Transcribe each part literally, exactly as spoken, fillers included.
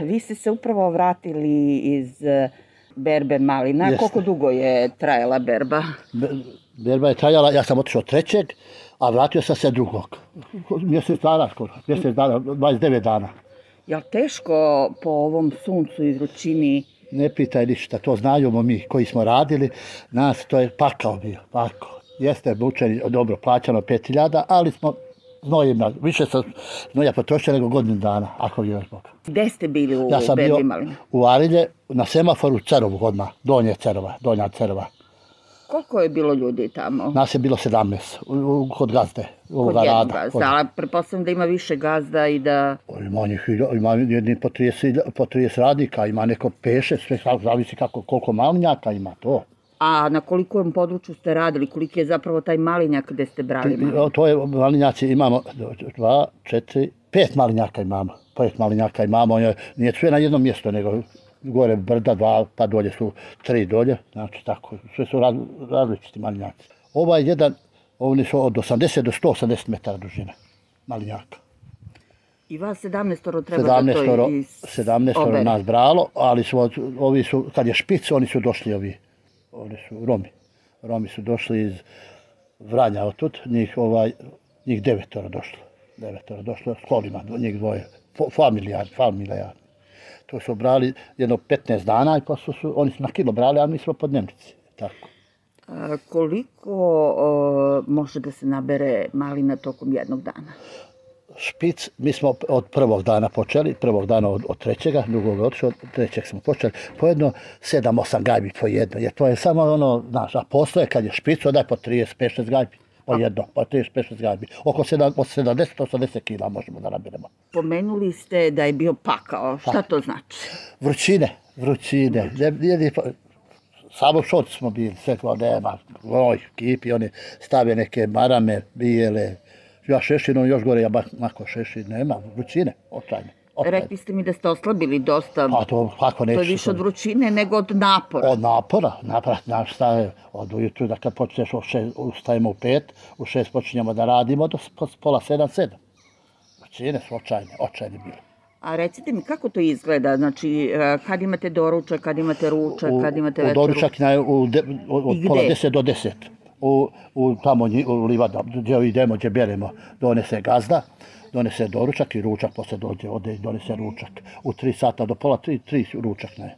Vi ste se upravo vratili iz berbe malina. Jeste. Koliko dugo je trajala berba? Berba je trajala, ja sam otišao trećeg, a vratio sam se drugog. Mjesec dana skoro, mjesec dana, dvadeset devet dana. Jel teško po ovom suncu i vrućini? Ne pitaj ništa, to znajemo mi koji smo radili, nas to je pakao bio, pakao. Jeste mučeni, dobro plaćano pet hiljada, ali smo znojima, više sam znoja potrošio nego godinu dana, ako je još Bog. Gde ste bili u Ja sam berbi bio malina? u Arilje, na semaforu Cerovu odmah, donje Cerova, donja Cerova. Koliko je bilo ljudi tamo? Nas je bilo sedamnaest, u, u, kod gazde, Kod ovoga jednog rada. gazda, Kod... ali pretpostavljam da ima više gazda i da... Ima, njih, ima jedni po trideset, po trideset radnika, ima neko peše, sve zavisi kako, koliko malinjaka ima to. A na kolikom području ste radili? Koliki je zapravo taj malinjak gde ste brali malinjak? To je malinjaci, imamo dva, četiri, pet malinjaka imamo. Pet malinjaka imamo, nije sve na jednom mjestu, nego gore brda, dva, pa dolje su tri dolje, znači tako, sve su raz, različiti malinjaci. Ovaj jedan, oni su od osamdeset do sto osamdeset metara dužine malinjaka. I vas sedamnaestoro treba da to iz sedamnaestoro nas bralo, ali su, ovi su, kad je špic, oni su došli ovi, oni su Romi. Romi su došli iz Vranja otud, njih, ovaj, njih devetoro došlo. Devetoro došlo s kolima, njih dvoje, familijarni, familijarni. To su brali jedno petnaest dana i posle su, oni su na kilo brali, a mi smo po dnevnici. Tako. A, koliko o, može da se nabere malina tokom jednog dana? Špic, mi smo od prvog dana počeli, prvog dana od, od trećega, drugog otišao, od trećeg smo počeli, po jedno sedam osam gajbi po jedno, jer to je samo ono, znaš, a posle kad je špic, onda je po trideset pet šest gajbi, po jedno, po trideset pet šest gajbi, oko sedamdeset osamdeset kila možemo da nabiremo. Pomenuli ste da je bio pakao, šta to znači? Vrućine, vrućine, vrućine. Samo šot smo bili, sve kao nema, oj, kipi, oni stave neke marame, bijele, ja šešinom još gore, ja mako šešin, nema, vrućine, očajne. Rekli ste mi da ste oslabili dosta, pa to, kako neću, to je više od vrućine nego od napora. Od napora, napora, naš staje, od ujutru, da kad počneš, ustajemo u pet, u šest počinjemo da radimo, do pola sedam, sedam. Vrućine su očajne, očajne bile. A recite mi, kako to izgleda? Znači, kad imate doručak, kad imate ručak, kad imate večeru? U doručak je od pola deset do deset. U, u tamo u livada, gdje idemo, gdje beremo, donese gazda, donese doručak i ručak, posle dođe, ode i donese ručak. U tri sata do pola tri, tri ručak ne.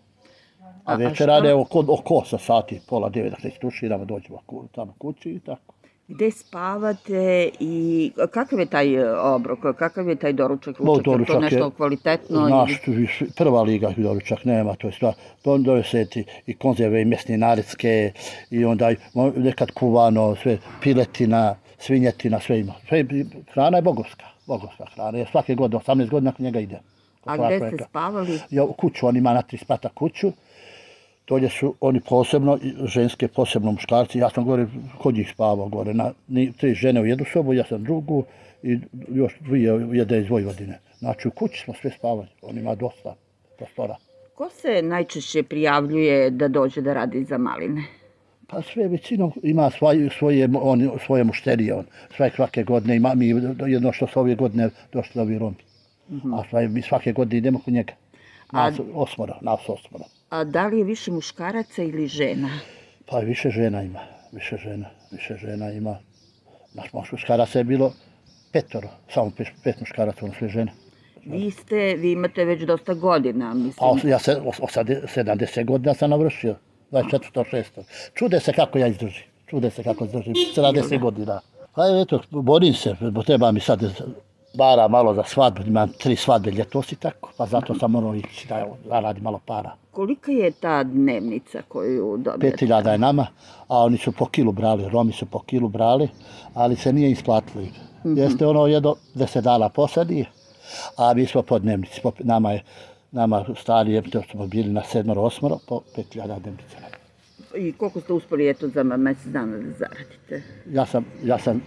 A večer rade oko, oko osam sati, pola devet, da se istuširamo, dođemo tamo kući i tako. Gde spavate i kakav je taj obrok, kakav je taj doručak, ručak, doručak je to nešto kvalitetno? Naš, ili... prva liga doručak nema, to je stvar, doneseti i konzerve i mesne narecke i onda nekad kuvano, sve piletina, svinjetina, sve ima. Sve, hrana je bogovska, bogovska hrana, jer svake godine, osamnaest godina nakon njega ide. A gde ste spavali? Ja, u kuću, on ima na tri sprata kuću. Dolje su oni posebno, ženske posebno muškarci, ja sam gore kod njih spavao gore, na, ni, tri žene u jednu sobu, ja sam drugu i još dvije jede iz Vojvodine. Znači u kući smo sve spavali, on ima dosta prostora. Ko se najčešće prijavljuje da dođe da radi za maline? Pa sve većinom ima svoje, svoje, on, svoje mušterije, on sve svake godine ima, mi jedno što su ove godine došli ovi Romi, mm-hmm. a sve, mi svake godine idemo kod njega, nas a... osmora, nas osmora. A da li je više muškaraca ili žena? Pa više žena ima, više žena, više žena ima. Naš muškaraca je bilo petoro, samo pet, pet muškaraca, ono sve žene. Vi ste, vi imate već dosta godina, mislim. Pa ja se, sedamdeset godina sam navršio, dvadeset četiri šesto Čude se kako ja izdržim, čude se kako izdržim, sedamdeset godina. Pa eto, borim se, treba mi sad para malo za svadbu, imam tri svadbe ljetos i tako, pa zato sam morao ići da zaradi malo para. Kolika je ta dnevnica koju dobijete? Pet hiljada je nama, a oni su po kilu brali, Romi su po kilu brali, ali se nije isplatilo. Mm-hmm. Jeste ono jedno deset dana posadi, a mi smo po dnevnici, po, nama je, nama starije, to smo bili na sedmoro, osmoro, po pet hiljada dnevnica. I koliko ste uspeli eto za mjesec dana da zaradite? Ja sam, ja sam,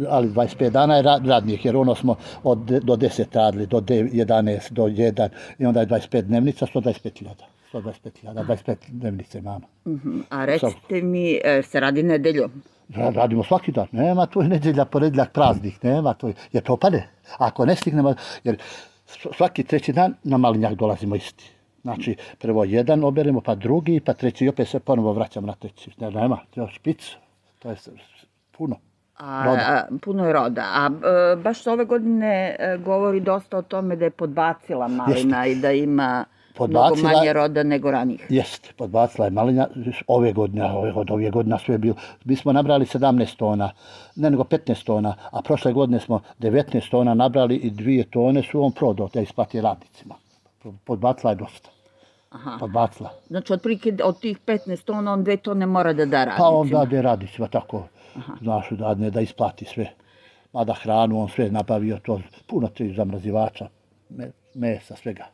ali dvadeset pet dana je radnijih, jer ono smo od, do deset radili, do jedanaest, do jedan, i onda je dvadeset pet dnevnica, sto dvadeset pet hiljada. sto dvadeset pet hiljada, dvadeset pet dnevnice imamo. Uh-huh. A recite mi, se radi nedeljom? Radimo svaki dan, nema tu nedjelja, ponedjeljak, praznik, nema tu, jer to pade. Ako ne stignemo, jer svaki treći dan na malinjak dolazimo isti. Znači, prvo jedan oberemo, pa drugi, pa treći i opet se ponovo vraćamo na treći. Ne, nema, to je špic, to je puno. A, a, puno je roda. A e, baš ove godine e, govori dosta o tome da je podbacila malina Jeste. I da ima podbacila, mnogo manje roda nego ranije. Jeste, podbacila je malina ove godine, od ove godine sve je bilo. Mi smo nabrali sedamnaest tona, ne nego petnaest tona, a prošle godine smo devetnaest tona nabrali i dvije tone su on prodao, da isplati radnicima. Podbacila je dosta. Aha. Podbacila. Znači, otprilike od tih petnaest tona, on dve tone mora da da radnicima. Pa on dade radnicima, tako. Aha. Znaš, da ne da isplati sve. Mada hranu, on sve nabavio, to puno tri zamrazivača, mesa, svega.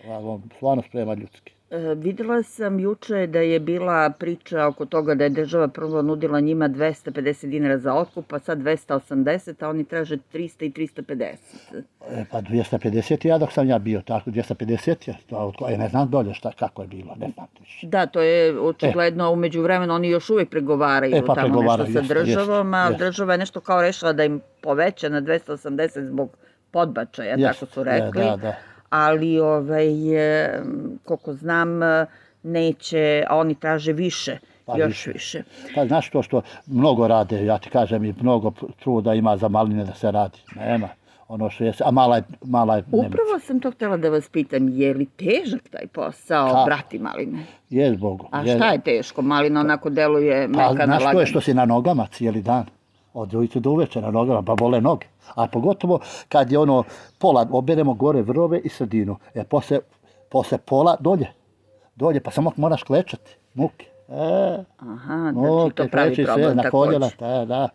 On stvarno sprema ljudski. E, videla sam juče da je bila priča oko toga da je država prvo nudila njima dvesta pedeset dinara za otkup, a sad dvesta osamdeset, a oni traže trista i trista pedeset. E, pa dvesta pedeset ja dok sam ja bio tako, dvesta pedeset je, to, ja ne znam dolje šta, kako je bilo, ne znam više. Da, to je očigledno, e. umeđu vremenu oni još uvijek pregovaraju e, pa tamo pregovaraju, nešto sa jest, državom, a jest. država je nešto kao rešila da im poveća na dvesta osamdeset zbog podbačaja, jest. Tako su rekli. E, da, da. Ali, ovaj, koliko znam, neće, a oni traže više, pa još više. više. Pa znaš to što mnogo rade, ja ti kažem, i mnogo truda ima za maline da se radi. Nema. Ono što je, a mala je, mala je Upravo nemaca. Sam to htjela da vas pitam, je li težak taj posao, Ka? brati maline? Je zbogu. A šta je teško? Malina onako deluje mekana lagana. Pa znaš to je što si na nogama cijeli dan. Od ujutru do uveče na nogama, pa bole noge. A pogotovo kad je ono pola, oberemo gore vrove i sredinu. E, posle, posle pola dolje. Dolje, pa samo moraš klečati. Muke. E, Aha, znači to pravi problem na također. Koljela, da, da.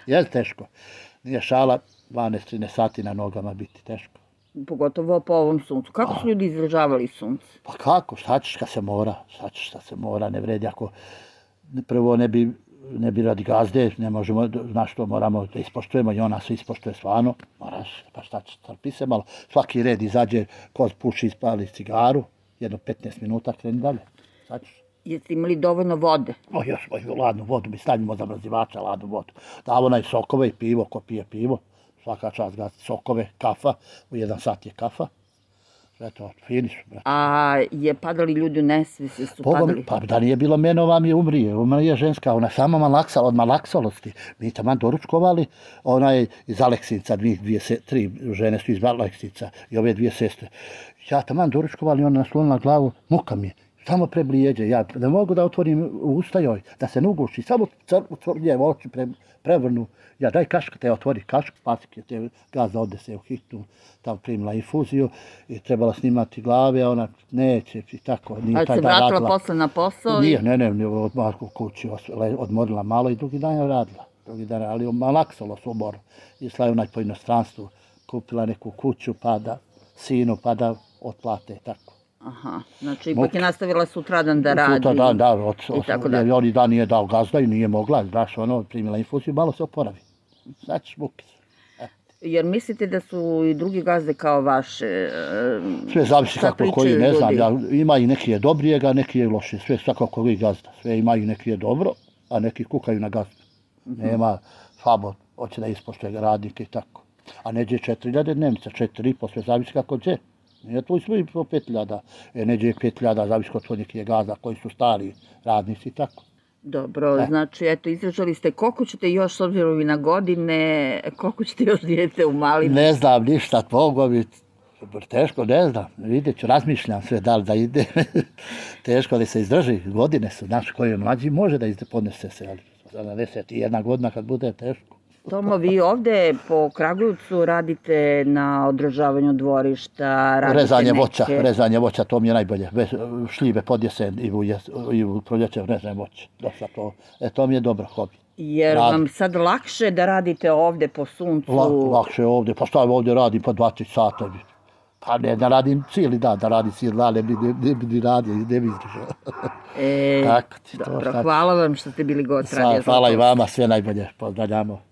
Je teško. Nije šala dvanaest trinaest sati na nogama biti teško. Pogotovo po ovom suncu. Kako su ljudi izdržavali sunce? Pa kako, šta ćeš kad se mora? Šta ćeš šta se mora, ne vredi ako prvo ne bi ne bi radi gazde, ne možemo, znaš što, moramo da ispoštujemo i ona se ispoštuje stvarno, moraš, pa šta će, trpi se malo, svaki red izađe, ko puši, ispali cigaru, jedno petnaest minuta, kreni dalje, sad ćeš. Jeste imali dovoljno vode? O, još, o, ladnu vodu, mi stavimo zamrazivača, ladnu vodu. Davo onaj sokove i pivo, ko pije pivo, svaka čast gasti sokove, kafa, u jedan sat je kafa. Eto, fini su, brate. A je padali ljudi u nesvijest, su Boga, padali? Pa da nije bilo mene, ova mi je umrije. Ona je ženska, ona sama malaksala, od malaksalosti. Mi taman doručkovali, ona je iz Aleksinca, dvije, dvije, tri žene su iz Aleksinca i ove dvije sestre. Ja taman doručkovali, ona naslonila glavu, muka mi je. Samo preblijeđe, ja ne mogu da otvorim usta joj, da se ne uguši, samo crnje oči pre, prevrnu. Ja daj kaška, te otvori kaška, pasike, te gazda ode se u hitnu, tamo primila infuziju i trebala snimati glave, a ona neće i tako. Nije ali se vratila radila. Posle na posao? Nije, ne, ne, ne, odmah u kući, odmorila malo i drugi dan je radila. Drugi dan, ali malaksalo su umor. Išla je onaj po inostranstvu, kupila neku kuću, pa da sinu, pa da otplate i tako. Aha, znači ipak je nastavila sutradan da radi. Sutradan, da, od, i tako da. Jer oni dan nije dao gazda i nije mogla, znaš, ono, primila infuziju, malo se oporavi. Znači, muki. Jer mislite da su i drugi gazde kao vaše? Sve zavisi kako koji, ne znam, ja, ima i neki je dobrijega, neki je loši, sve svako koji gazda. Sve imaju neki je dobro, a neki kukaju na gazdu. Mm-hmm. Nema, Fabo, hoće da ispoštuje radnike i tako. A neđe četiri hiljade dnevnica, četiri i po, sve zavisi kako gdje. Nije tu smo i po pet hiljada, e, neđe pet hiljada, zavisi kod svojih je gazda koji su stari radnici i tako. Dobro, e. Znači, eto, izražali ste koliko ćete još, s obzirom i na godine, koliko ćete još dijete u malim? Ne znam ništa, mogu bi, teško, ne znam, vidjet ću, razmišljam sve da li da ide, teško da se izdrži, godine su, znaš, koji je mlađi može da izde, podnese se, ali sedamdeset jedna godina kad bude teško. Tomo, vi ovde po Kragujevcu radite na održavanju dvorišta, radite rezanje neke... voća, rezanje voća, to mi je najbolje. Šljive pod jesen i u, jes, i u proljeće rezanje voća. Dosta to, e, to mi je dobro hobi. Jer Rad. Vam sad lakše da radite ovde po suncu? La, lakše ovde, pa šta ovde radim po dva tri sata. Pa ne, da radim cijeli dan, da radim cijeli dan, ne bi ne, ne, ne radio, ne bi izdržao. E, Tako ti, dobro, to, hvala vam što ste bili gost. Hvala i vama, sve najbolje, pozdravljamo.